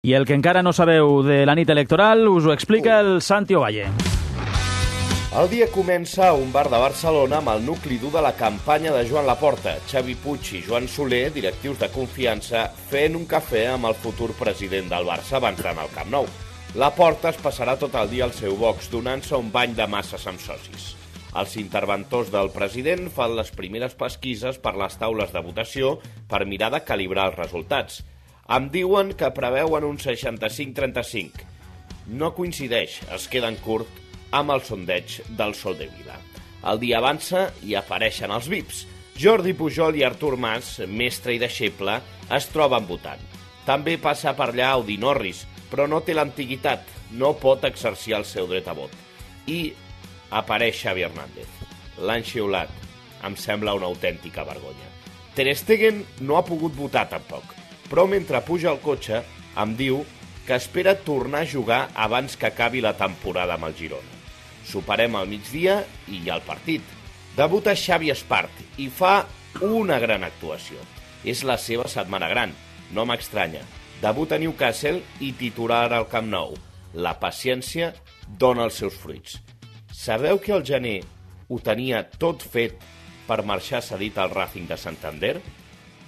I el que encara no sabeu de la nit electoral us ho explica el Santi Ovalle. El dia comença a un bar de Barcelona amb el nucli dur de la campanya de Joan Laporta, Xavi Puig i Joan Soler, directius de confiança, fent un cafè amb el futur president del Barça abans d'anar al Camp Nou. Laporta es passarà tot el dia al seu box, donant-se un bany de masses amb socis. Els interventors del president fan les primeres pesquises per les taules de votació per mirar de calibrar els resultats. Em diuen que preveuen un 65-35. No coincideix, es queden curt amb el sondeig del Sol de Vila. El dia avança i apareixen els VIPs. Jordi Pujol i Artur Mas, mestre i deixeble, es troben votant. També passa per allà Audi Norris, però no té l'antiguitat, no pot exercir el seu dret a vot. I apareix Xavi Hernández. L'han xiulat. Em sembla una autèntica vergonya. Ter Stegen no ha pogut votar tampoc, però mentre puja al cotxe em diu que espera tornar a jugar abans que acabi la temporada amb el Girona. Soparem al migdia i hi ha el partit. Debuta Xavi Espart i fa una gran actuació. És la seva setmana gran, no m'estranya. Debuta a Newcastle i titular al Camp Nou. La paciència dona els seus fruits. Sabeu que al gener ho tenia tot fet per marxar cedit al Racing de Santander?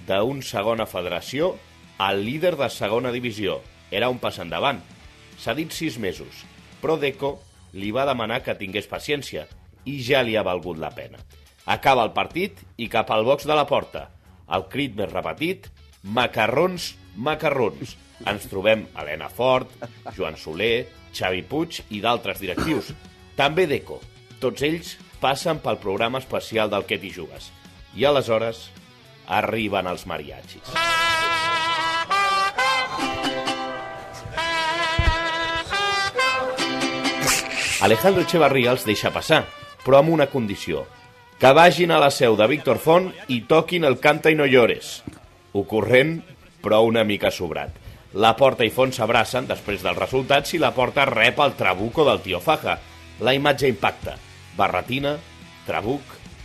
D'un segona federació al líder de segona divisió. Era un pas endavant. S'ha dit 6 mesos, però Deco li va demanar que tingués paciència i ja li ha valgut la pena. Acaba el partit i cap al box de Laporta. El crit més repetit, macarrons, macarrons. Ens trobem Helena Fort, Joan Soler, Xavi Puig i d'altres directius. També Deco. Tots ells passen pel programa especial del Que t'hi jugues. I aleshores arriben els mariachis. Alejandro Echevarría els deixa passar, però amb una condició. Que vagin a la seu de Víctor Font i toquin el Canta i no llores. Ocorrent, però una mica sobrat. Laporta i Font s'abracen després dels resultats i Laporta rep el trabuco del tio Faja. La imatge impacta. Barretina, trabuc,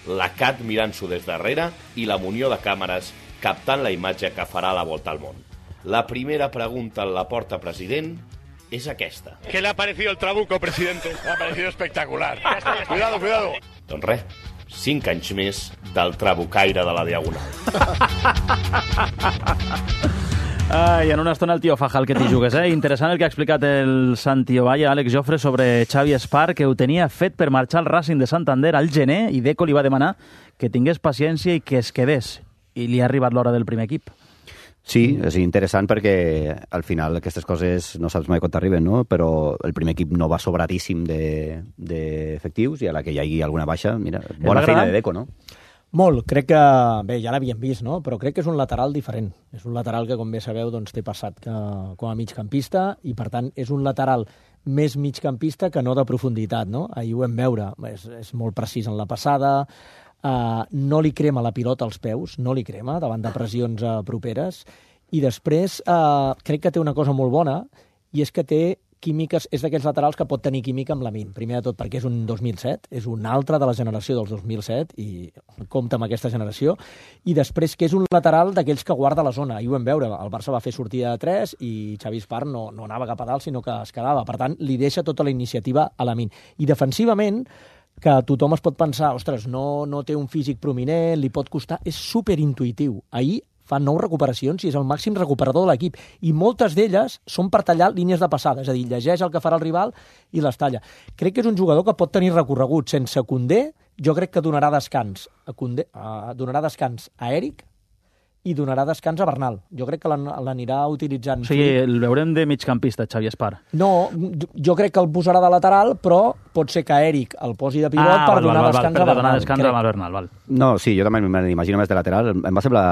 la Cat mirant-s'ho des darrere i la munió de càmeres captant la imatge que farà la volta al món. La primera pregunta al Laporta president es aquesta. ¿Qué le ha parecido el trabuco, presidente? Me ha parecido espectacular. Cuidado, cuidado. Doncs res, 5 anys més del trabucaire de la Diagonal. Ai, en una estona el tio Faja, el Que t'hi jugues, Interessant el que ha explicat el Santi Ovalle, Àlex Jofre, sobre Xavi Espart, que ho tenia fet per marxar al Racing de Santander al gener, i Deco li va demanar que tingués paciència i que es quedés. I li ha arribat l'hora del primer equip. Sí, és interessant perquè al final aquestes coses no saps mai quan t'arriben, no? Però el primer equip no va sobradíssim d'efectius i a la que hi hagi alguna baixa, mira, bona feina de Deco, no? Molt, crec que, bé, ja l'havíem vist, no? Però crec que és un lateral diferent. És un lateral que, com bé sabeu, doncs, té passat com a migcampista i, per tant, és un lateral més migcampista que no de profunditat, no? Ahir ho vam veure, és molt precís en la passada, no li crema la pilota als peus, no li crema davant de pressions properes, i després crec que té una cosa molt bona, i és que té químiques, és d'aquells laterals que pot tenir química amb Lamine. Primer de tot perquè és un 2007, és un altre de la generació dels 2007, i compta amb aquesta generació, i després que és un lateral d'aquells que guarda la zona, i ho vam veure, el Barça va fer sortida de 3 i Xavi Espart no anava cap a dalt, sinó que es quedava. Per tant, li deixa tota la iniciativa a Lamine. I defensivament, que tothom es pot pensar, ostres, no té un físic prominent, li pot costar, és superintuitiu. Ahir fa 9 recuperacions i és el màxim recuperador de l'equip. I moltes d'elles són per tallar línies de passada, és a dir, llegeix el que farà el rival i les talla. Crec que és un jugador que pot tenir recorregut. Sense Koundé, jo crec que donarà descans a Eric i donarà descans a Bernal. Jo crec que l'anirà utilitzant. O sigui, el veurem de migcampista, Xavi Espart. No, jo crec que el posarà de lateral, però pot ser que Eric el posi de pivot per donar descans a Bernal. Donar descans a Bernal, val. No, sí, jo també m'imagino més de lateral. Em va semblar,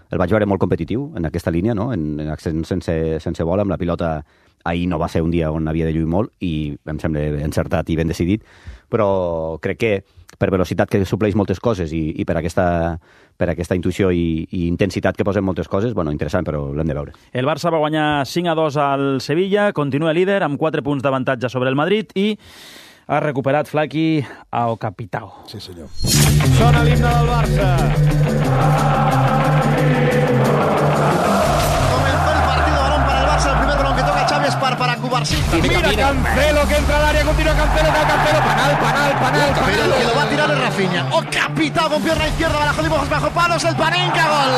el vaig veure molt competitiu en aquesta línia, no? En accent sense bola, amb la pilota. Ahir no va ser un dia on havia de lluir molt i em sembla encertat i ben decidit, però crec que per velocitat que supleix moltes coses i per aquesta intuïció i intensitat que posen moltes coses, bueno, interessant, però l'hem de veure. El Barça va guanyar 5-2 al Sevilla, continua líder amb 4 punts d'avantatge sobre el Madrid i ha recuperat Flaqui a O Capitao. Sí, senyor. Sona l'himne del Barça. Comenzó el partido, balón para el Barça, el primer balón que toca para Cubarsí. Mira Cancelo que entra al área, continúa Cancelo, penal. Que lo va a tirar el Rafinha. ¡Oh, capitán con pierna izquierda! Bajo dibujos, bajo palos, el Panenka, gol.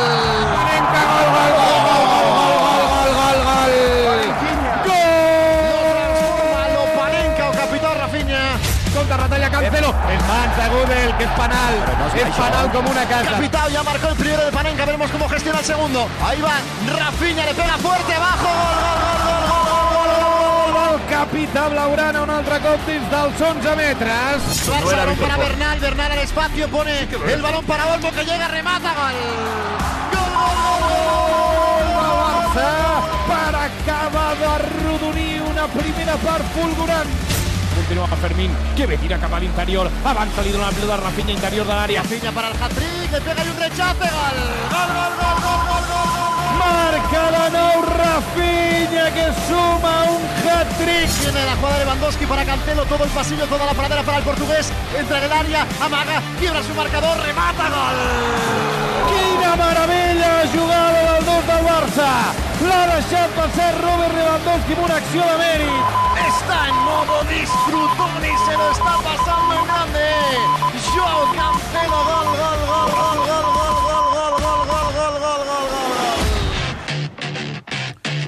Lo Panenka o capitán Rafinha. Contra Ratalla Cancelo, el Mansa Gudel, que es panal, es panal como una casa. Capitán ya marcó el primero de Panenka, veremos cómo gestiona el segundo. Ahí va Rafinha, le pega fuerte abajo, gol. Capità Blaugrana, un altre cop dins dels 11 metres. Barça, balón para Bernal al espacio, pone el balón para Olmo que llega, remata, gol. Barça per acabar d'arrodonir una primera part fulgurant. Continua Fermín, que ve, tira cap a l'interior, avança, li dona la pilota a Rafinha, interior de l'àrea. Rafinha para el hat-trick, le pega y un rechace, gol. Marca de nou Rafinha, que suma un hat-trick. Viene la jugada de Lewandowski para Cancelo, todo el pasillo, toda la pradera para el portugués. Entra en el área, amaga, quiebra su marcador, remata, gol. Quina meravella, jugada del 2 del Barça. L'ha deixat passar Robert Lewandowski amb una acció de mèrit. Está en modo disfrutón y se lo está pasando en grande. Joao Cancelo, gol.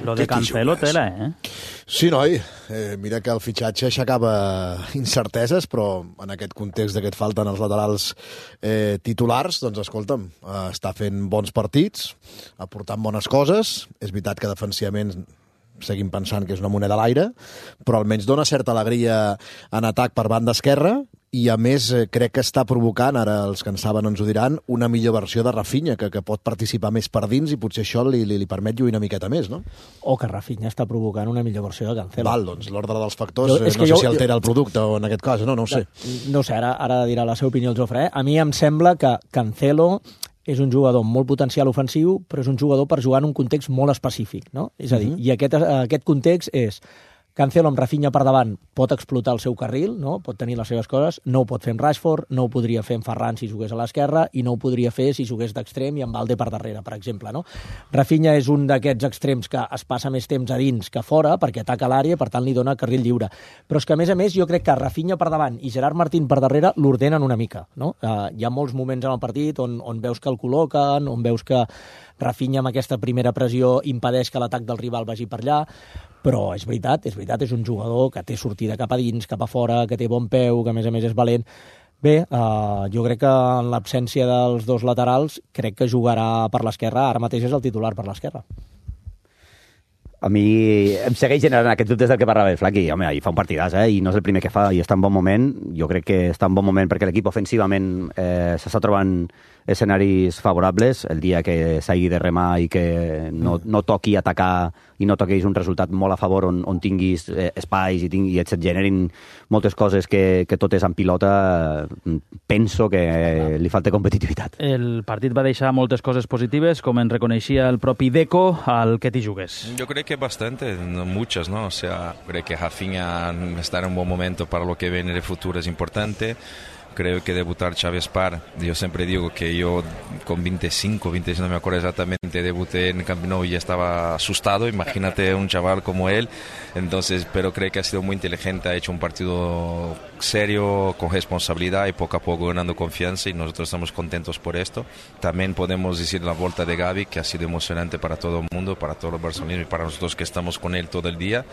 Lo de Cancelo, tela, eh? Sí, noi. Mira que el fitxatge aixecava incerteses, però en aquest context que et falten els laterals titulars, doncs escolta'm, està fent bons partits, aportant bones coses. És veritat que defensivament seguim pensant que és una moneda a l'aire, però almenys dona certa alegria en atac per banda esquerra i, a més, crec que està provocant, ara els que en saben ens ho diran, una millor versió de Rafinha, que pot participar més per dins i potser això li permet lluir una miqueta més, no? O que Rafinha està provocant una millor versió de Cancelo. Val, doncs l'ordre dels factors, no sé si altera el producte o en aquest cas, no ho sé. No sé, ara dirà la seva opinió el Jofre. A mi em sembla que Cancelo és un jugador amb molt potencial ofensiu, però és un jugador per jugar en un context molt específic, no? És a dir, i aquest context és Cancelo amb Rafinha per davant pot explotar el seu carril, no? Pot tenir les seves coses, no ho pot fer en Rashford, no ho podria fer en Ferran si jugués a l'esquerra i no ho podria fer si jugués d'extrem i amb Valde per darrere, per exemple, no? Rafinha és un d'aquests extrems que es passa més temps a dins que a fora perquè ataca l'àrea, per tant li dona carril lliure. Però és que, a més, jo crec que Rafinha per davant i Gerard Martín per darrere l'ordenen una mica, no? Hi ha molts moments en el partit on veus que el col·loquen, on veus que Rafinha amb aquesta primera pressió impedeix que l'atac del rival vagi per allà, però és veritat, és un jugador que té sortida cap a dins, cap a fora, que té bon peu, que a més és valent. Bé, jo crec que en l'absència dels dos laterals, crec que jugarà per l'esquerra, ara mateix és el titular per l'esquerra. A mi em segueix generant aquests dubtes del que parlava el Flaqui. Home, ahir fa un partidàs, i no és el primer que fa, i està en bon moment. Jo crec que està en bon moment perquè l'equip ofensivament s'està trobant escenaris favorables. El dia que s'hagi de remar i que no toqui atacar i no toquis un resultat molt a favor on tinguis espais i et generin moltes coses que totes en pilota, penso que li falta competitivitat. El partit va deixar moltes coses positives, com en reconeixia el propi Deco al que t'hi jugues. Yo creo que bastante, no muchas, ¿no? O sea, creo que Rafinha está en un buen momento para lo que viene en el futuro es importante. Creo que debutar Xavi Espar, yo siempre digo que yo con 25, no me acuerdo exactamente, debuté en Camp Nou y ya estaba asustado, imagínate un chaval como él. Entonces, pero creo que ha sido muy inteligente, ha hecho un partido serio, con responsabilidad y poco a poco ganando confianza y nosotros estamos contentos por esto. También podemos decir la vuelta de Gavi, que ha sido emocionante para todo el mundo, para todos los barcelonistas y para nosotros que estamos con él todo el día.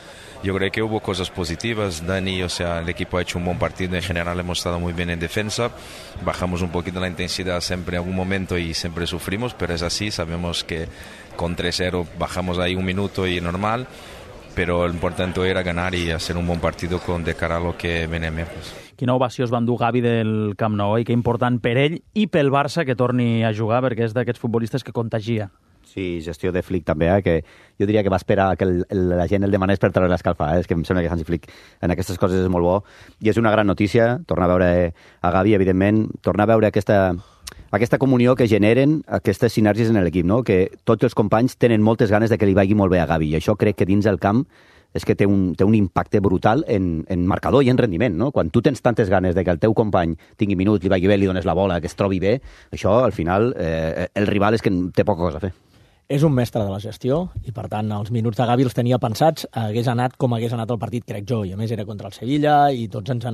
Yo creo que hubo cosas positivas, Dani, o sea, el equipo ha hecho un buen partido, en general hemos estado muy bien en defensa, bajamos un poquito la intensidad siempre en algún momento y siempre sufrimos, pero es así, sabemos que con 3-0 bajamos ahí un minuto y normal, però l'important era ganar i hacer un bon partit de cara a lo que viene més. Quina ovació es va endur Gavi del Camp Nou, i que important per ell i pel Barça que torni a jugar, perquè és d'aquests futbolistes que contagia. Sí, gestió de Flick també, que jo diria que va esperar que la gent el demanés per treure l'escalfa. És que em sembla que Hansi Flick en aquestes coses és molt bo. I és una gran notícia, tornar a veure a Gavi, evidentment, tornar a veure aquesta comunió que generen aquestes sinergies en l'equip, no? Que tots els companys tenen moltes ganes de que li vagi molt bé a Gavi, i això crec que dins del camp és que té un impacte brutal en marcador i en rendiment, no? Quan tu tens tantes ganes de que el teu company tingui minuts, li vagi bé, li dones la bola, que es trobi bé, això, al final, el rival és que té poca cosa a fer. És un mestre de la gestió i, per tant, els minuts de Gavi els tenia pensats, hagués anat com hagués anat el partit, crec jo, i a més era contra el Sevilla i tots ens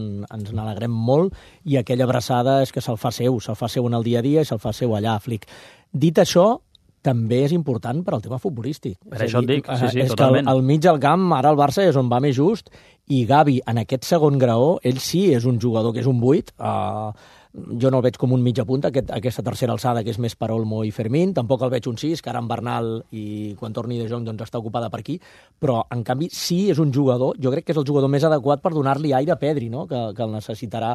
n'alegrem molt i aquella abraçada és que se'l fa seu en el dia a dia i se'l fa seu allà a Flick. Dit això, també és important per al tema futbolístic. Per això et dic, sí, és totalment. Que al mig del camp, ara el Barça és on va més just, i Gavi, en aquest segon graó, ell sí és un jugador que és un 8, jo no el veig com un mitja punta, aquesta tercera alçada que és més per Olmo i Fermín, tampoc el veig un 6, que ara en Bernal i quan torni de Jong doncs està ocupada per aquí, però en canvi sí és un jugador, jo crec que és el jugador més adequat per donar-li aire a Pedri, no? que el necessitarà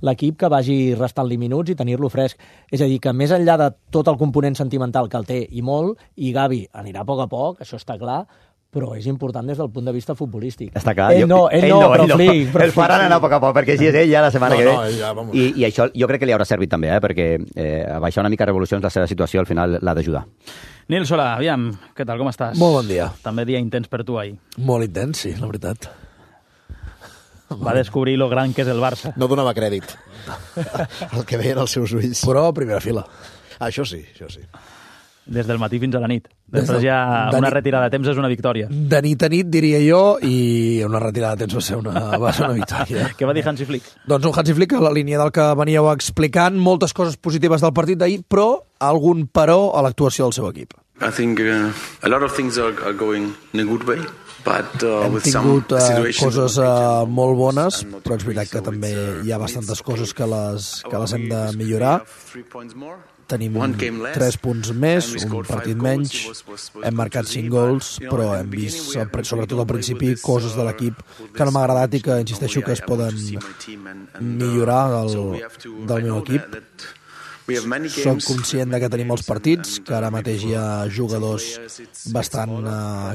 l'equip, que vagi restant-li minuts i tenir-lo fresc. És a dir, que més enllà de tot el component sentimental que el té i molt, i Gavi anirà a poc, això està clar, però és important des del punt de vista futbolístic. Està clar. Ell no, però Flick. El faran anar a poc, perquè si és ell ja la setmana que ve. Ja, vamos. I això jo crec que li haurà servit també, perquè abaixar una mica revolucions, la seva situació al final l'ha d'ajudar. Nil Solà, aviam, què tal, com estàs? Molt bon dia. També dia intens per tu ahir. Molt intens, sí, la veritat. Va descobrir lo gran que és el Barça. No donava crèdit el que veien els seus ulls. Però a primera fila. Això sí. Des del matí fins a la nit. Després ja una retirada de temps és una victòria. De nit a nit, diria jo, i una retirada de temps va ser una victòria. Què va dir Hansi Flick? Doncs un Hansi Flick a la línia del que veníeu explicant, moltes coses positives del partit d'ahir, però algun però a l'actuació del seu equip. I think a lot of things are going in a good way. Hem tingut coses molt bones, però és veritat que també hi ha bastantes coses que les hem de millorar. Tenim 3 punts més, un partit menys, hem marcat 5 gols, però hem vist, sobretot al principi, coses de l'equip que no m'ha agradat i que insisteixo que es poden millorar del meu equip. Soc conscient que tenim molts partits, que ara mateix hi ha jugadors bastant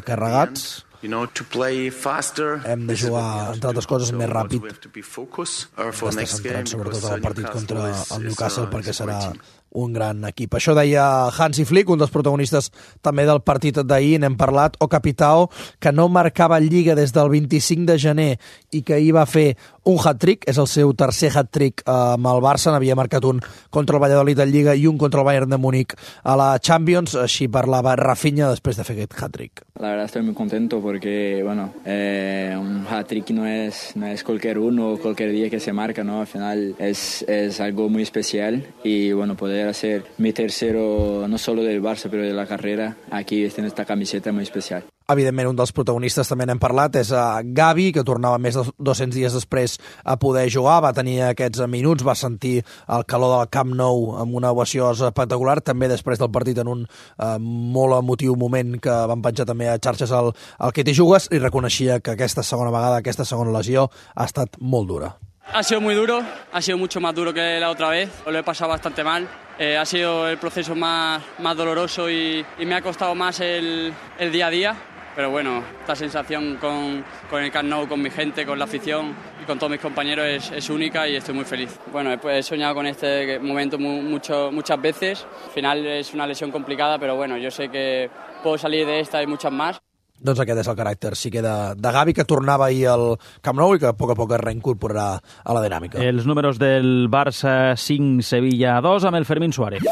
carregats. Hem de jugar, entre altres coses, més ràpid, d'estar centrats sobretot en el partit contra el Newcastle, perquè serà un gran equip. Això deia Hansi Flick, un dels protagonistes també del partit d'ahir, n'hem parlat, o Capitao, que no marcava Lliga des del 25 de gener i que ahir va fer un hat-trick, és el seu tercer hat-trick amb el Barça, n'havia marcat un contra el Valladolid a Lliga i un contra el Bayern de Múnich a la Champions, així parlava Rafinha després de fer aquest hat-trick. La verdad estoy muy contento porque, bueno, un hat-trick no es cualquier uno o cualquier día que se marca, ¿no? Al final es algo muy especial y, bueno, poder hacer mi tercero, no solo del Barça, pero de la carrera, aquí en esta camiseta muy especial. Evidentment, un dels protagonistes també n'hem parlat és Gavi, que tornava més de 200 dies després a poder jugar, va tenir aquests minuts, va sentir el calor del Camp Nou amb una ovació espectacular, també després del partit en un molt emotiu moment que van penjar també a xarxes al que t'hi jugues, i reconeixia que aquesta segona vegada, aquesta segona lesió, ha estat molt dura. Ha sido muy duro, ha sido mucho más duro que la otra vez, lo he pasado bastante mal. Ha sido el proceso más doloroso y me ha costado más el día a día. Pero bueno, esta sensación con el Camp Nou, con mi gente, con la afición y con todos mis compañeros es única y estoy muy feliz. Bueno, he soñado con este momento muchas veces. Al final es una lesión complicada, pero bueno, yo sé que puedo salir de esta y muchas más. Doncs aquest és el caràcter, sí que de Gavi, que tornava ahir al Camp Nou i que a poc es reincorporarà a la dinàmica. Els números del Barça 5, Sevilla 2, amb el Fermín Suárez.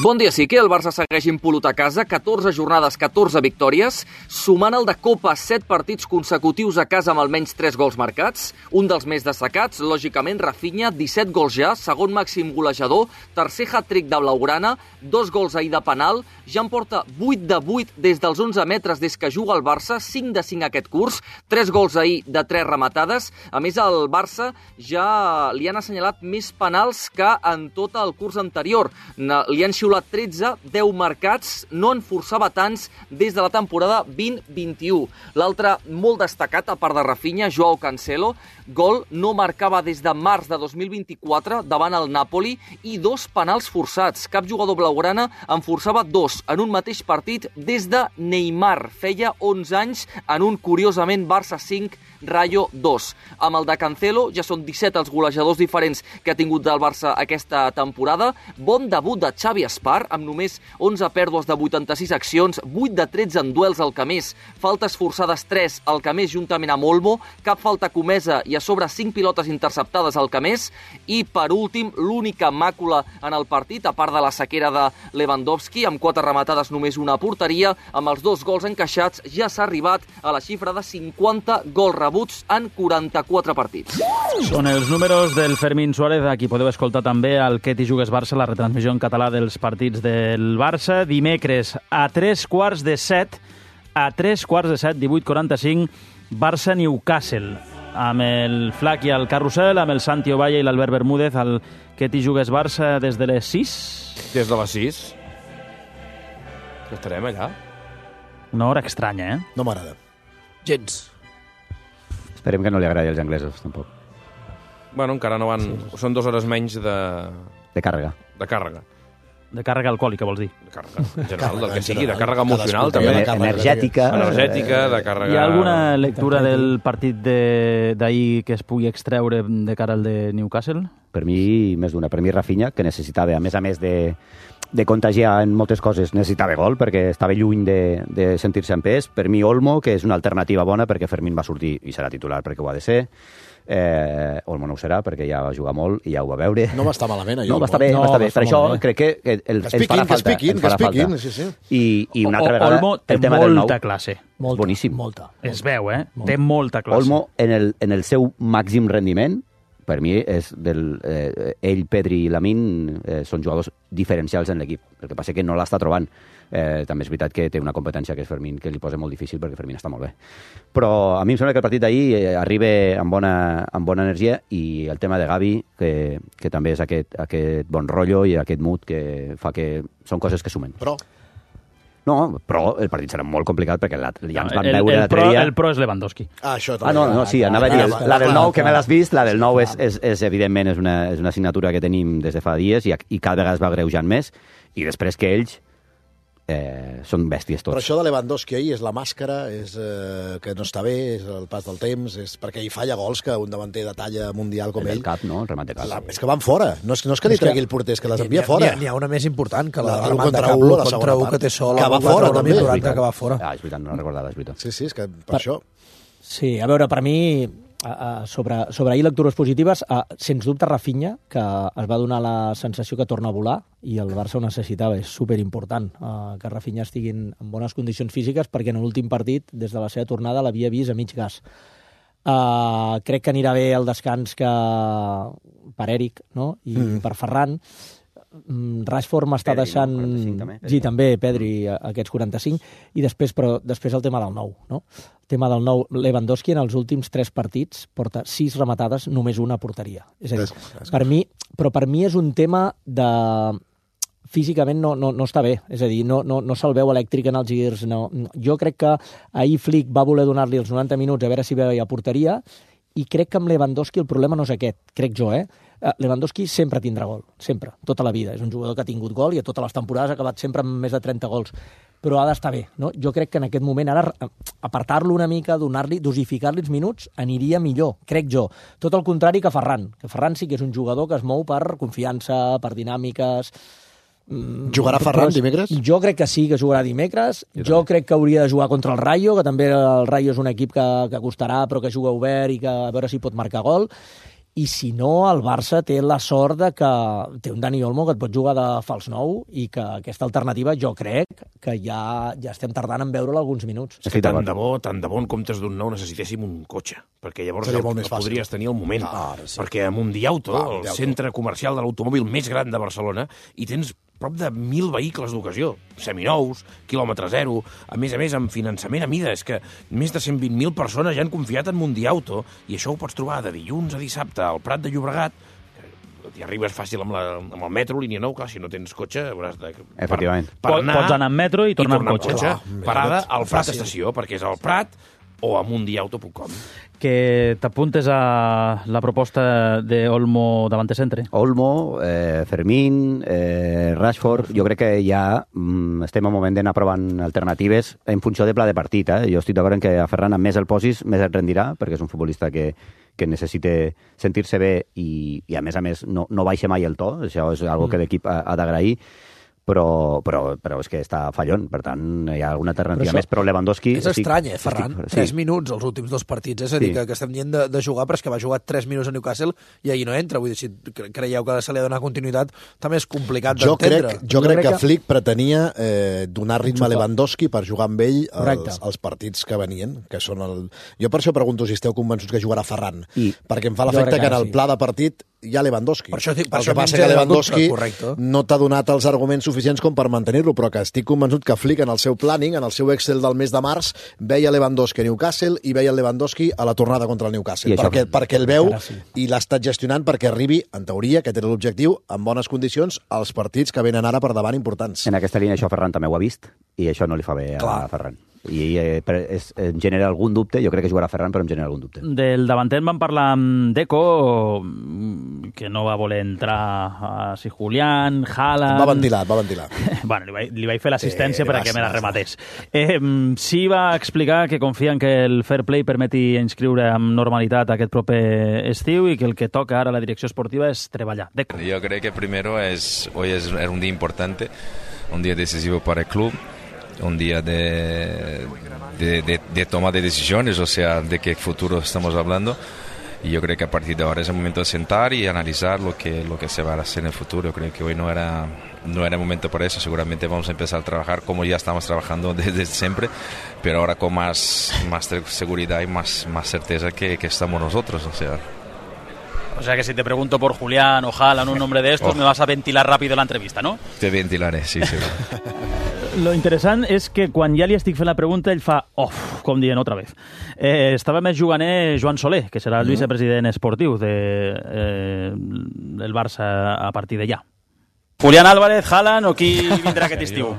Bon dia, sí que el Barça segueix impolut a casa, 14 jornades, 14 victòries, sumant el de Copa 7 partits consecutius a casa amb almenys 3 gols marcats, un dels més destacats, lògicament, Rafinha, 17 gols ja, segon màxim golejador, tercer hat-trick de Blaugrana, 2 gols ahir de penal, ja en porta 8 de 8 des dels 11 metres des que juga el Barça, 5 de 5 aquest curs, 3 gols ahir de 3 rematades. A més, el Barça ja li han assenyalat més penals que en tot el curs anterior. Li han xiulat 13, 10 marcats, no en forçava tants des de la temporada 20-21. L'altre molt destacat, a part de Rafinha, Joao Cancelo, gol, no marcava des de març de 2024 davant el Napoli i 2 penals forçats. Cap jugador blaugrana en forçava 2 en un mateix partit des de Neymar. Feia 11 anys en un, curiosament, Barça 5, Rayo 2. Amb el de Cancelo ja són 17 els golejadors diferents que ha tingut del Barça aquesta temporada. Bon debut de Xavi Espar, amb només 11 pèrdues de 86 accions, 8 de 13 en duels al Camés, faltes forçades 3 al Camés juntament amb Olmo, cap falta comesa i a sobre 5 pilotes interceptades al Camés, i per últim, l'única màcula en el partit, a part de la sequera de Lewandowski, amb 4 rematades només una porteria, amb els 2 gols encaixats ja s'ha arribat a la xifra de 50 gols rebuts en 44 partits. Són els números del Fermín Suárez, aquí podeu escoltar també el Que t'hi jugues Barça, la retransmissió en català dels partits del Barça. Dimecres a 7:15, 18:45, Barça-Newcastle, amb el Flac i el Carrusel, amb el Santi Ovalle i l'Albert Bermúdez, el Que t'hi jugues Barça des de les 6? Des de les 6. Estarem allà. Una hora estranya, eh? No m'agrada. Gens. Esperem que no li agradi als anglesos, tampoc. Bueno, encara no van... Sí. Són 2 hores menys de... De càrrega. De càrrega. De càrrega alcohòlica, vols dir? De càrrega, en general, del que sigui, de càrrega emocional, també. Energètica. Energètica, de càrrega... Hi ha alguna lectura del partit d'ahir que es pugui extreure de cara al de Newcastle? Per mi, més d'una. Per mi, Rafinha, que necessitava, a més de contagiar en moltes coses, necessitava gol, perquè estava lluny de sentir-se en pes. Per mi, Olmo, que és una alternativa bona, perquè Fermín va sortir i serà titular perquè ho ha de ser. Olmo no ho serà, perquè ja va jugar molt i ja ho va veure. No va estar malament, No, va estar bé, va estar bé. Per això crec que ens farà falta. Que es piquin, sí, sí. I una altra vegada, Olmo té el tema del nou. molta classe. Boníssim. Molta. Es veu, eh? Té molta classe. Olmo, en el seu màxim rendiment, per mi, és ell, Pedri i Lamine són jugadors diferencials en l'equip. El que passa que no l'està trobant. També és veritat que té una competència que és Fermín, que li posa molt difícil perquè Fermín està molt bé. Però a mi em sembla que el partit d'ahir arriba amb bona energia, i el tema de Gavi, que també és aquest bon rotllo i aquest mood que fa que són coses que sumen. No, però el partit serà molt complicat perquè ja ens van veure l'altre dia... El pro és Lewandowski. Sí, anava a dir, la del nou, que me l'has vist, la del nou és evidentment és una assignatura que tenim des de fa dies i cada vegada es va greujant més, i després que ells són bèsties tots. Però això de Lewandowski ahir és la màscara, és que no està bé, és el pas del temps, és perquè hi falla gols que un davanter de talla mundial com ell... El cap, no? El remat de cap. És que van fora. No és que li tregui el porter, és que les envia fora. N'hi ha una més important, que la remat de cap, contra un que té sol, que va fora, també. Que va fora. És veritat, no recordava, és veritat. Sí, és que per això... Sí, a veure, per mi... sobre ahir lectures positives, sens dubte Rafinha, que es va donar la sensació que torna a volar, i el Barça ho necessitava. És superimportant que Rafinha estigui en bones condicions físiques, perquè en l'últim partit, des de la seva tornada, l'havia vist a mig gas. Crec que anirà bé el descans per Eric, no? I per Ferran. Rashford m'està deixant... Sí, també, Pedri, aquests 45. I després el tema del nou, no? El tema del nou, Lewandowski en els últims 3 partits porta 6 rematades, només una a porteria. És a dir, per mi és un tema de... Físicament no està bé, és a dir, no se'l veu elèctric en els girs. No. Jo crec que ahir Flick va voler donar-li els 90 minuts a veure si veia porteria, i crec que amb Lewandowski el problema no és aquest, crec jo, Lewandowski sempre tindrà gol, sempre, tota la vida. És un jugador que ha tingut gol i a totes les temporades ha acabat sempre amb més de 30 gols. Però ha d'estar bé, no? Jo crec que en aquest moment ara apartar-lo una mica, dosificar-li els minuts, aniria millor, crec jo. Tot el contrari que Ferran. Que Ferran sí que és un jugador que es mou per confiança, per dinàmiques... Jugarà Ferran dimecres? Jo crec que sí, que jugarà dimecres. Jo crec que hauria de jugar contra el Rayo, que també el Rayo és un equip que costarà, però que juga obert i que a veure si pot marcar gol. I si no, el Barça té la sort de que té un Dani Olmo que et pot jugar de fals nou, i que aquesta alternativa jo crec que ja estem tardant en veure-la alguns minuts. És que tant de bo en comptes d'un nou necessitéssim un cotxe, perquè llavors el podries tenir al moment. Perquè a Mundiauto, el centre comercial de l'automòbil més gran de Barcelona, hi tens prop de 1.000 vehicles d'ocasió, seminous, quilòmetre zero, a més, amb finançament a mida. És que més de 120.000 persones ja han confiat en Mundiauto, i això ho pots trobar de dilluns a dissabte al Prat de Llobregat. Hi arribes fàcil amb el metro, línia 9, clar, si no tens cotxe hauràs de... Efectivament. Pots anar en metro i tornar amb cotxe. Parada al Prat Estació, perquè és al Prat o a mundiauto.com. Que t'apuntes a la proposta de Olmo davant de centre? Olmo, Fermín, Rashford, jo crec que ja estem en moment d'anar provant alternatives en funció de pla de partit. Jo estic d'acord en que a Ferran, amb més el posis, més et rendirà, perquè és un futbolista que necessita sentir-se bé i a més, no baixa mai el to. Això és una cosa que l'equip ha d'agrair. però és que està fallon, per tant hi ha alguna alternativa més, però Lewandowski... És estrany, Ferran? 3 minuts els últims 2 partits, és a dir, que estem dient de jugar, però és que va jugar 3 minuts a Newcastle i ahir no entra, vull dir, si creieu que se li ha de donar continuïtat, també és complicat d'entendre. Jo crec que Flick pretenia donar ritme a Lewandowski per jugar amb ell els partits que venien, que són Jo per això pregunto si esteu convençuts que jugarà Ferran, perquè em fa l'efecte que en el pla de partit hi ha Lewandowski. El que passa que Lewandowski no t'ha donat els arguments suficients com per mantenir-lo, però que estic convençut que Flick en el seu planning, en el seu Excel del mes de març, veia Lewandowski a Newcastle i veia el Lewandowski a la tornada contra el Newcastle, perquè el veu i l'ha estat gestionant perquè arribi, en teoria, que té l'objectiu, en bones condicions, als partits que venen ara per davant importants. En aquesta línia això Ferran també ho ha vist i això no li fa bé a Ferran. I em genera algun dubte, jo crec que jugarà Ferran, però em genera algun dubte. Del davanter vam parlar amb Deco, que no va voler entrar si Julián, Haaland... Va ventilar. Bueno, li vaig fer l'assistència perquè me la rematés. Sí va explicar que confia en que el fair play permeti inscriure amb normalitat aquest proper estiu i que el que toca ara a la direcció esportiva és treballar. Deco. Yo creo que primero hoy era un día importante, un día decisivo para el club, un día de toma de decisiones, o sea, de qué futuro estamos hablando. Y yo creo que a partir de ahora es el momento de sentar y analizar lo que se va a hacer en el futuro. Yo creo que hoy no era el momento para eso. Seguramente vamos a empezar a trabajar como ya estamos trabajando desde siempre, pero ahora con más seguridad y más certeza que estamos nosotros, O sea que si te pregunto por Julián o Haaland, un nombre de estos, me vas a ventilar rápido la entrevista, ¿no? Te ventilaré, sí. Lo interessant és que quan ja li estic fent la pregunta, ell fa com dient otra vez. Estava més juganer Joan Soler, que serà el vicepresident esportiu del Barça a partir de ja. Julián Álvarez, Haaland o qui vindrà aquest estiu?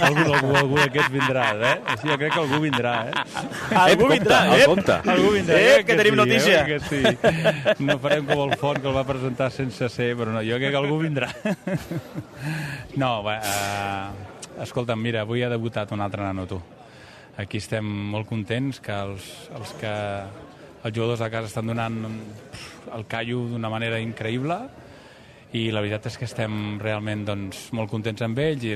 Algú d'aquests vindrà, Sí, jo crec que algú vindrà, Algú vindrà, Algú vindrà. Que tenim notícia. Sí. No farem com el Font, que el va presentar sense ser, però no, jo crec que algú vindrà. No, escolta'm, mira, avui ha debutat un altre nano, tu. Aquí estem molt contents que els jugadors de casa estan donant el callo d'una manera increïble, i la veritat és que estem realment molt contents amb ells, i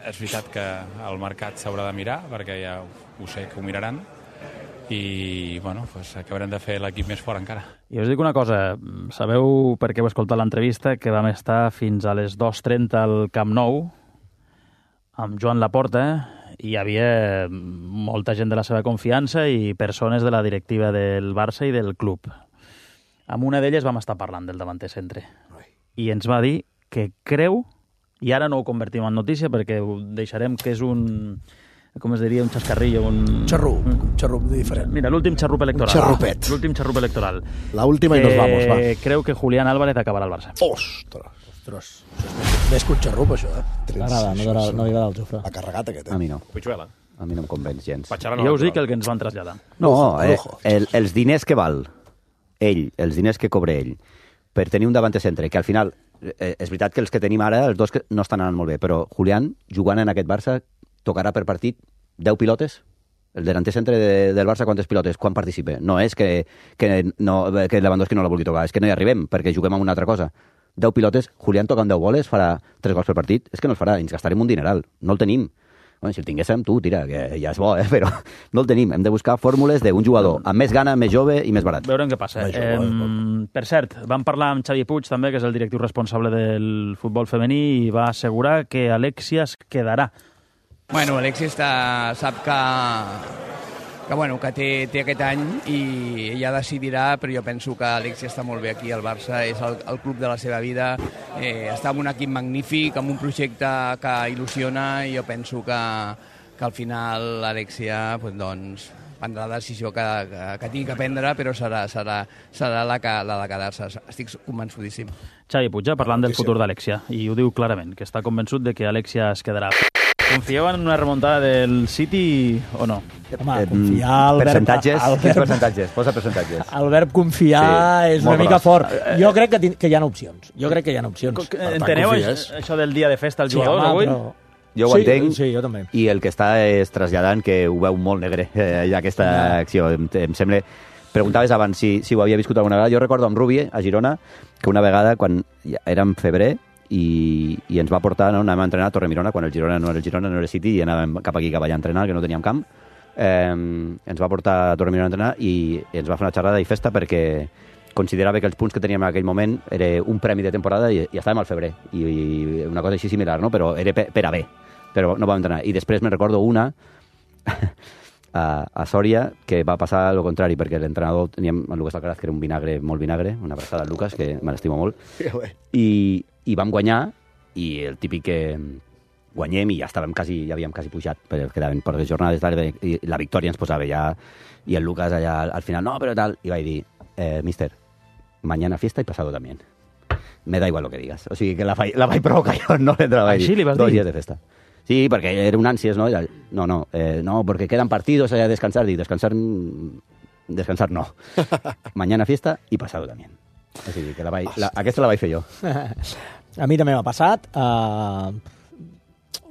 és veritat que el mercat s'haurà de mirar, perquè ja ho sé que ho miraran, i acabarem de fer l'equip més fort encara. I us dic una cosa, sabeu per què heu escoltat l'entrevista, que vam estar fins a les 2:30 al Camp Nou amb Joan Laporta, i hi havia molta gent de la seva confiança i persones de la directiva del Barça i del club. Amb una d'elles vam estar parlant del davanter centre. I ens va dir que creu, i ara no ho convertim en notícia perquè ho deixarem que és un, com es diria, un xascarrillo, un xarrup diferent. Mira, l'últim xarrup electoral. Xarrupet. L'últim xarrup electoral. La última i nos vamos, va. Creu que Julián Álvarez acabarà al Barça. Ostres. Més que un xarrup, això, M'agrada, no li agrada el Jofre. Ha carregat aquest, A mi no. Pitxuela. A mi no em convenç gens. Jo us dic el que ens van traslladar. No, els diners que val ell, els diners que cobra ell, per tenir un davanter centre, que al final, és veritat que els que tenim ara, els dos que no estan anant molt bé, però Julián, jugant en aquest Barça, tocarà per partit 10 pilotes? El davanter centre del Barça, quantes pilotes? Quan participa? No és que Lewandowski no la vulgui tocar, és que no hi arribem, perquè juguem amb una altra cosa. 10 pilotes, Julián toca amb 10 boles, farà 3 gols per partit? És que no els farà, ens gastarem un dineral, no el tenim. Bueno, si el tinguéssim, tu, tira, que ja és bo, però no el tenim. Hem de buscar fórmules d'un jugador amb més gana, més jove i més barat. Veurem què passa. Per cert, vam parlar amb Xavi Puig, també, que és el directiu responsable del futbol femení, i va assegurar que Alexia es quedarà. Bueno, Alexia sap que té aquest any i ella decidirà, però jo penso que Alexia està molt bé aquí al Barça, és el club de la seva vida, està en un equip magnífic, amb un projecte que il·lusiona, i jo penso que al final l'Alexia prendrà la decisió que tingui que prendre, però serà la de quedar-se. Estic convençudíssim. Xavi Puig, parlant del futur d'Alexia, i ho diu clarament, que està convençut de que Alexia es quedarà. Confieu en una remuntada del City o no? Home, confiar... Percentatges, posa percentatges. El verb confiar és una mica fort. Jo crec que hi ha opcions. Enteneu això del dia de festa als jugadors avui? Jo ho entenc, sí, jo també. I el que està és traslladant que ho veu molt negre, aquesta acció. Em sembla... Preguntaves abans si ho havia viscut alguna vegada. Jo recordo amb Rubi, a Girona, que una vegada, quan era en febrer, i ens va portar, no? Anàvem a entrenar a Torremirona, quan el Girona no era el Girona, no era el City, i anàvem cap aquí, cap allà a entrenar, que no teníem camp. Ens va portar a Torremirona a entrenar i ens va fer una xerrada i festa perquè considerava que els punts que teníem en aquell moment era un premi de temporada i estàvem al febrer, i una cosa així similar, no? Però era per a bé, però no vam entrenar. I després me'n recordo una a Sòria, que va passar el contrari, perquè l'entrenador teníem el Lucas Alcaraz, que era un vinagre, molt vinagre, una abraçada al Lucas, que me l'estimo molt, i vam guanyar, i el típic que guanyem i ja havíem quasi pujat, perquè quedaven poques jornades, i la victòria ens posava ja, i el Lucas allà al final, no, però tal, i vaig dir, mister, mañana fiesta y pasado también. Me da igual lo que digas. O sigui que la vaig provocar jo, no l'entrava a dir. Així li vas dir? 2 dies de festa. Sí, perquè era un ànsies, ¿no? No, porque quedan partidos, hay que descansar. Y descansar no. Mañana fiesta y pasado también. O sigui que aquesta la vaig fer jo. A mi també m'ha passat.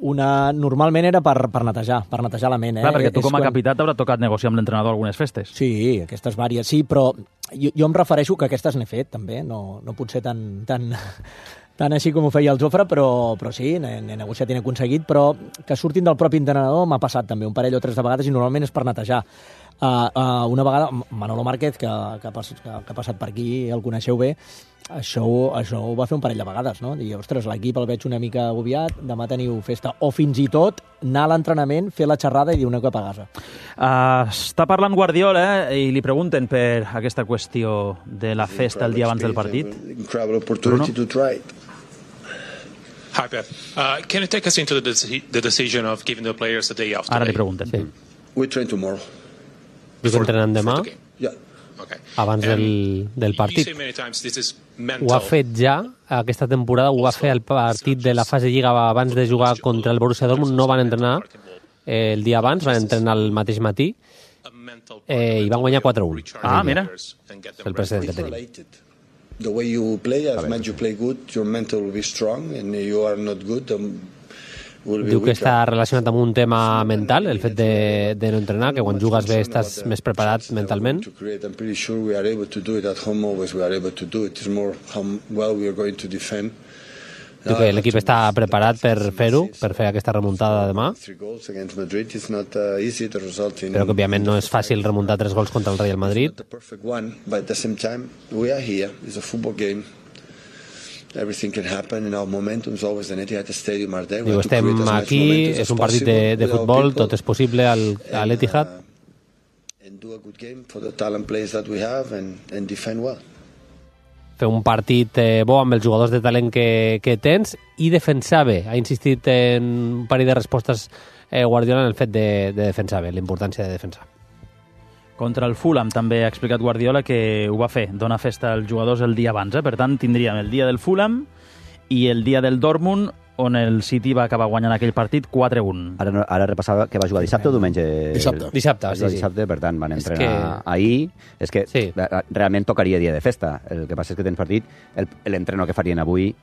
Normalment era per netejar la ment. Clar, perquè tu com a capità t'haurà tocat negociar amb l'entrenador algunes festes. Sí, aquestes vàries, sí, però jo em refereixo que aquestes n'he fet, també. No potser tan així com ho feia el Jofre, però sí, n'he negociat i n'he aconseguit, però que surtin del propi entrenador m'ha passat també un parell o 3 de vegades i normalment és per netejar. Una vegada, Manolo Márquez, que ha passat per aquí, el coneixeu bé, això ho va fer un parell de vegades, no? Dir, ostres, l'equip el veig una mica agobiat, demà teniu festa. O fins i tot anar a l'entrenament, fer la xerrada i dir una cop a casa. Està parlant Guardiola i li pregunten per aquesta qüestió de la festa el dia abans del partit. Bruno? Hi, Pep. Can you take us into the decision of giving the players a day off today? Ara li pregunten. Sí. We train tomorrow. Dic que entrenen demà, abans del partit. Ho ha fet ja, aquesta temporada, ho va fer al partit de la fase Lliga abans de jugar contra el Borussia Dortmund, no van entrenar el dia abans, van entrenar el mateix matí i van guanyar 4-1. Mira. El precedent que tenim. The way you play, as much you play good, your mental will be strong, and you are not good, diu que està relacionat amb un tema mental, el fet de no entrenar, que quan jugues bé estàs més preparat mentalment. I'm pretty sure we are able to do it at home, always we are able to do it. It's more how well we are going to defend. Diu que l'equip està preparat per fer-ho, per fer aquesta remuntada demà, però que òbviament no és fàcil remuntar 3 gols contra el Real Madrid. Everything can happen in our momentum is always in Etihad Stadium are there. Diu, estem aquí, és un partit de futbol, tot és possible a l'Etihad. And do a good game for the talent players that we have and defend well. Fer un partit bo amb els jugadors de talent que tens i defensar bé. Ha insistit en un parell de respostes Guardiola en el fet de defensar bé, la importància de defensar. Contra el Fulham també ha explicat Guardiola que ho va fer, donar festa als jugadors el dia abans. Per tant, tindríem el dia del Fulham i el dia del Dortmund, on el City va acabar guanyant aquell partit 4-1. Ara repassava que va jugar dissabte o diumenge? Dissabte, sí. Dissabte, per tant, van entrenar ahir. És que realment tocaria dia de festa. El que passa és que tens partit, l'entreno que farien avui,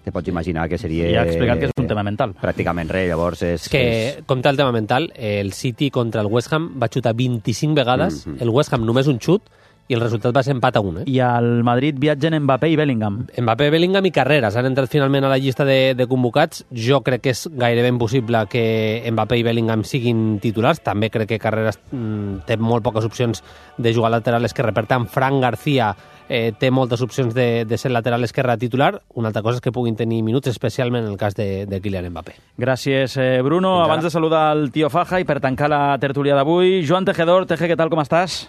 te pots imaginar que seria... I ha explicat que és un tema mental. Pràcticament res, llavors és... Que, compte el tema mental, el City contra el West Ham va xutar 25 vegades, el West Ham només un xut, i el resultat va ser empat a 1. I al Madrid viatgen Mbappé i Bellingham. Mbappé, Bellingham i Carreras han entrat finalment a la llista de convocats. Jo crec que és gairebé impossible que Mbappé i Bellingham siguin titulars. També crec que Carreras té molt poques opcions de jugar lateral esquerre. Per tant, Fran García té moltes opcions de ser lateral esquerre titular. Una altra cosa és que puguin tenir minuts, especialment en el cas de Kylian Mbappé. Gràcies, Bruno. Abans de saludar el tio Faja i per tancar la tertúlia d'avui, Joan Tejedor. Teje, què tal, com estàs?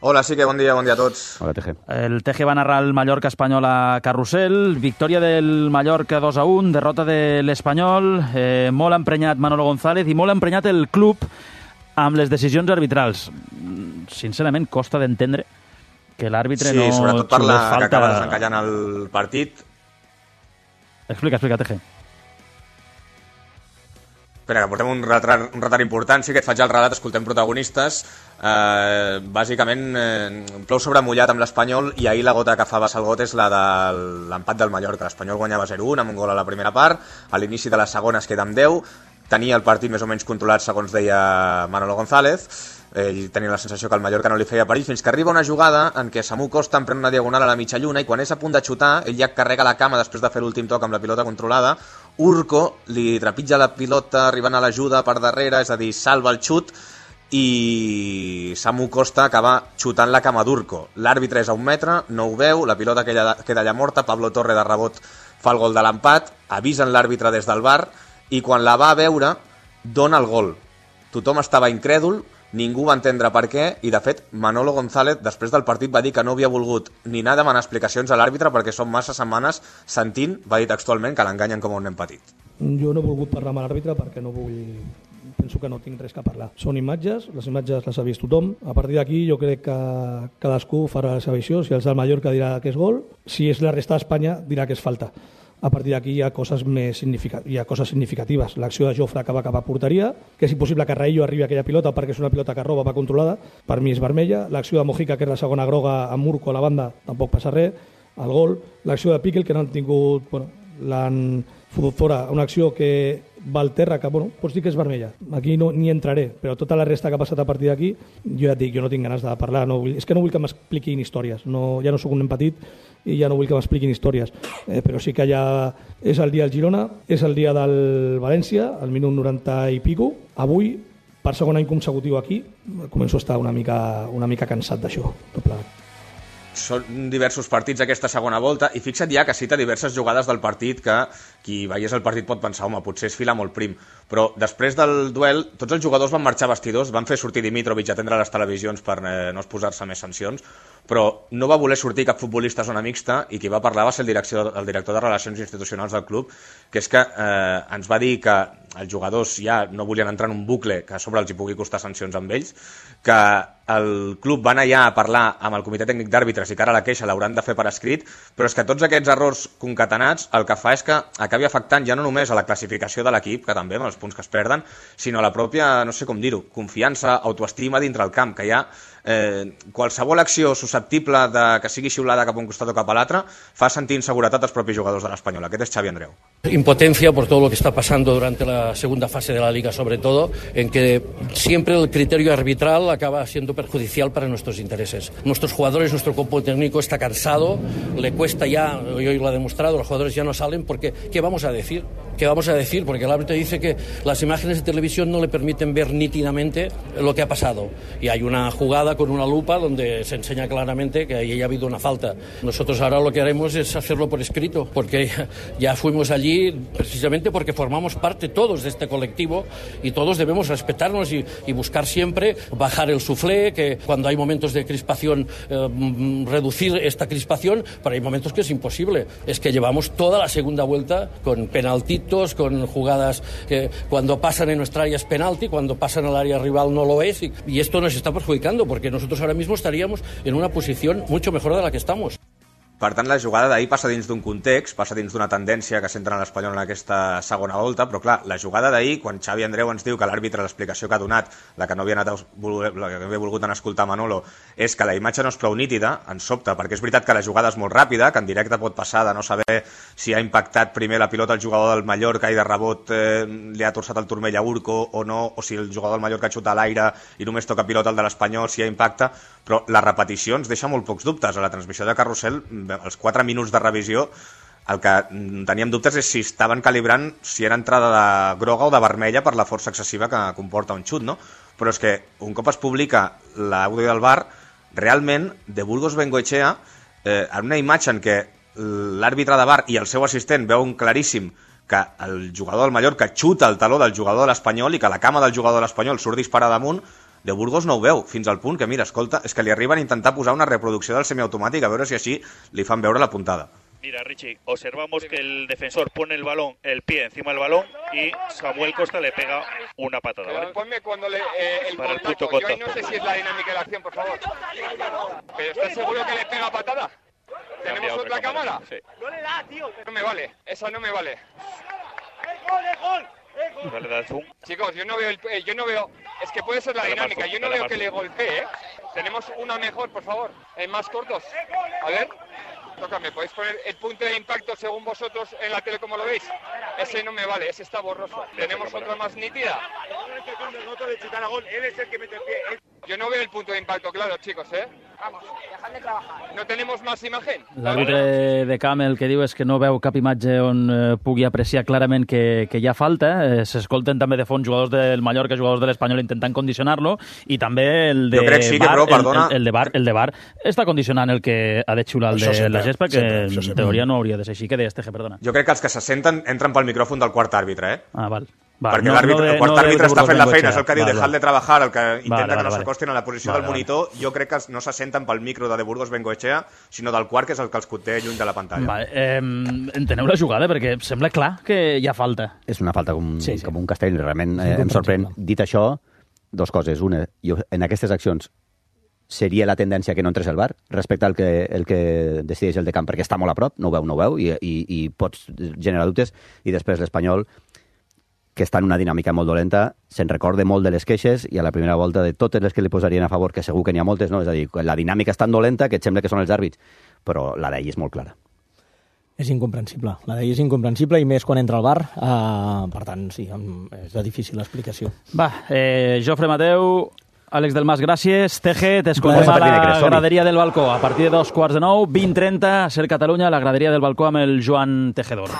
Hola, sí que bon dia a tots. Hola, Teje. El Teje va narrar el Mallorca Espanyol a Carrusel, victòria del Mallorca 2-1, derrota de l'Espanyol, molt emprenyat Manolo González i molt emprenyat el club amb les decisions arbitrals. Sincerament, costa d'entendre que l'àrbitre no... Sí, sobretot per la que acaba desencallant el partit. Explica, Teje. Espera, que portem un retard important. Sí que et faig el relat, escoltem protagonistes. Bàsicament, plou sobre mullat amb l'Espanyol i ahir la gota que fa vessar el got és la de l'empat del Mallorca. L'Espanyol guanyava 0-1 amb un gol a la primera part. A l'inici de la segona es queda amb 10. Tenia el partit més o menys controlat, segons deia Manolo González. ell tenia la sensació que el Mallorca no li feia perill, fins que arriba una jugada en què Samu Costa emprèn una diagonal a la mitja lluna i quan és a punt de xutar, ell ja carrega la cama després de fer l'últim toc amb la pilota controlada. Urco li trepitja la pilota arribant a l'ajuda per darrere, és a dir, salva el xut, i Samu Costa acaba xutant la cama d'Urco. L'àrbitre és a 1 metre, no ho veu, la pilota queda allà morta, Pablo Torre de rebot fa el gol de l'empat, avisen l'àrbitre des del VAR i quan la va a veure dona el gol. Tothom estava incrèdul, ningú va entendre per què i de fet Manolo González després del partit va dir que no havia volgut ni anar a demanar explicacions a l'àrbitre perquè són massa setmanes sentint, va dir textualment, que l'enganyen com un nen petit. Jo no he volgut parlar amb l'àrbitre perquè no vull... Penso que no tinc res que parlar. Són imatges, les imatges les ha vist tothom. A partir d'aquí jo crec que cadascú farà la seva visió. Si és el Mallorca dirà que és gol, si és la resta d'Espanya dirà que és falta. A partir d'aquí hi ha coses significatives. L'acció de Jofre acaba cap a porteria, que és impossible que Raillo arribi a aquella pilota perquè és una pilota que roba, va controlada, per mi és vermella. L'acció de Mojica, que és la segona groga amb Urco a la banda, tampoc passa res. El gol. L'acció de Piquel, que no han tingut... l'han fotut fora, una acció que va al terra, que pots dir que és vermella. Aquí no ni entraré, però tota la resta que ha passat a partir d'aquí, jo ja et dic, jo no tinc ganes de parlar, és que no vull que m'expliquin històries, ja no sóc un nen petit i ja no vull que m'expliquin històries, però sí que ja és el dia del Girona, és el dia del València, al minut 90 i pico. Avui, per segon any consecutiu aquí, començo a estar una mica cansat d'això, tot plegat. Són diversos partits aquesta segona volta i fixa't ja que cita diverses jugades del partit que qui veiés el partit pot pensar, home, potser és filar molt prim, però després del duel tots els jugadors van marxar vestidors, van fer sortir Dimitrovic a atendre les televisions per no posar-se més sancions, però no va voler sortir cap futbolista a zona mixta i qui va parlar va ser el director de Relacions Institucionals del club, que és que ens va dir que els jugadors ja no volien entrar en un bucle que a sobre els hi pugui costar sancions amb ells, que el club va anar ja a parlar amb el comitè tècnic d'àrbitres i que ara la queixa l'hauran de fer per escrit, però és que tots aquests errors concatenats el que fa és que acabi afectant ja no només a la classificació de l'equip, que també amb els punts que es perden, sinó a la pròpia, no sé com dir-ho, confiança, autoestima dintre el camp, que hi ha qualsevol acció susceptible de que sigui xiulada cap a un costat o cap a l'altre fa sentir inseguretat als propis jugadors de l'Espanyol. Aquest és Xavi Andreu. Impotencia por todo lo que está pasando durante la segunda fase de la Liga, sobre todo, en que siempre el criterio arbitral acaba siendo perjudicial para nuestros intereses. Nuestros jugadores, nuestro cuerpo técnico está cansado, le cuesta ya, hoy lo ha demostrado, los jugadores ya no salen porque, ¿qué vamos a decir? ¿Qué vamos a decir? Porque el árbitro dice que las imágenes de televisión no le permiten ver nítidamente lo que ha pasado. Y hay una jugada con una lupa donde se enseña claramente que ahí ha habido una falta. Nosotros ahora lo que haremos es hacerlo por escrito, porque ya fuimos allí precisamente porque formamos parte todos de este colectivo y todos debemos respetarnos y buscar siempre bajar el suflé, que cuando hay momentos de crispación reducir esta crispación, pero hay momentos que es imposible. Es que llevamos toda la segunda vuelta con penaltitos, con jugadas que cuando pasan en nuestra área es penalti, cuando pasan al área rival no lo es, y esto nos está perjudicando porque nosotros ahora mismo estaríamos en una posición mucho mejor de la que estamos. Per tant, la jugada d'ahir passa dins d'un context, passa dins d'una tendència que centra en l'Espanyol en aquesta segona volta, però clar, la jugada d'ahir, quan Xavi Andreu ens diu que l'àrbitre, l'explicació que ha donat, la que no havia volgut anar a escoltar Manolo, és que la imatge no és prou nítida, ens sobta, perquè és veritat que la jugada és molt ràpida, que en directe pot passar de no saber si ha impactat primer la pilota el jugador del Mallorca i de rebot li ha torçat el turmell a Urco o no, o si el jugador del Mallorca xuta a l'aire i només toca pilota el de l'Espanyol, si ha impacta, però la repetició ens deixa molt pocs dubtes. A la transmissió de Carrusel, els 4 minuts de revisió, el que teníem dubtes és si estaven calibrant si era entrada de groga o de vermella per la força excessiva que comporta un xut, no? Però és que un cop es publica l'àudio del VAR, realment de Burgos Bengoechea, en una imatge en què l'àrbitre de VAR i el seu assistent veuen claríssim que el jugador del Mallorca xuta el taló del jugador de l'Espanyol i que la cama del jugador de l'Espanyol surt disparada damunt, de Burgos no ho veu, fins al punt que, mira, escolta, és que li arriben a intentar posar una reproducció del semiautomàtic a veure si així li fan veure la puntada. Mira, Richie, observamos que el defensor pone el pie encima del balón y Samuel Costa le pega una patada, ¿vale? Ponme cuando el para contacto. el punto contacto. Yo no sé si es la dinámica de la acción, por favor. ¿Pero estás seguro que le pega patada? ¿Tenemos otra cámara? Sí. No le da, tío. No me vale, esa no me vale. Vale, da zoom. Chicos, yo no veo, es que puede ser la dinámica, yo no veo que le golpee, ¿eh? Tenemos una mejor, por favor, más cortos. A ver, tócame, ¿podéis poner el punto de impacto según vosotros en la tele como lo veis? Ese no me vale, ese está borroso. ¿Tenemos otra más nítida? Yo no veo el punto de impacto claro, chicos, ¿eh? Vamos, dejad de trabajar. ¿No tenemos más imagen? L'àrbitre de camp el que diu és que no veu cap imatge on pugui apreciar clarament que hi ha falta. S'escolten també de fons jugadors del Mallorca, jugadors de l'Espanyol intentant condicionar-lo, i també el de el de VAR està condicionant el que ha de xiular el de la gespa, que en teoria no hauria de ser així. Què deies, Teje, perdona? Jo crec que els que se senten entren pel micròfon del quart àrbitre, eh? Ah, val. Perquè el quart àrbitre està fent la feina, és el que diu dejar de trabajar, el que intenta que no s'acostin a la posició del monitor. Jo crec que no se senten pel micro de Burgos Bengoechea, sinó del quart, que és el que els té lluny de la pantalla. Enteneu la jugada, perquè sembla clar que hi ha falta. És una falta com un castell, realment em sorprèn. Dit això, dos coses. Una, en aquestes accions seria la tendència que no entrés el VAR respecte al que decideix el de camp, perquè està molt a prop, no ho veu, i pots generar dubtes. I després l'Espanyol, que està en una dinàmica molt dolenta, se'n recorda molt de les queixes, i a la primera volta de totes les que li posarien a favor, que segur que n'hi ha moltes, no? És a dir, la dinàmica és tan dolenta que et sembla que són els àrbits, però la d'ell és molt clara. És incomprensible. La d'ell és incomprensible, i més quan entra al VAR. Per tant, sí, és de difícil explicació. Va, Jofre Mateu, Àlex del Mas, gràcies. Teje, t'escoltem a la graderia del balcó. A partir de 2:45, 20:30, a Ser Catalunya, a la graderia del balcó amb el Joan Tejedor.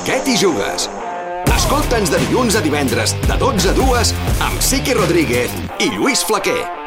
Què t'hi jugues? Escolta'ns de dilluns a divendres, de 12 a 2, amb Siqui Rodríguez i Lluís Flaquer.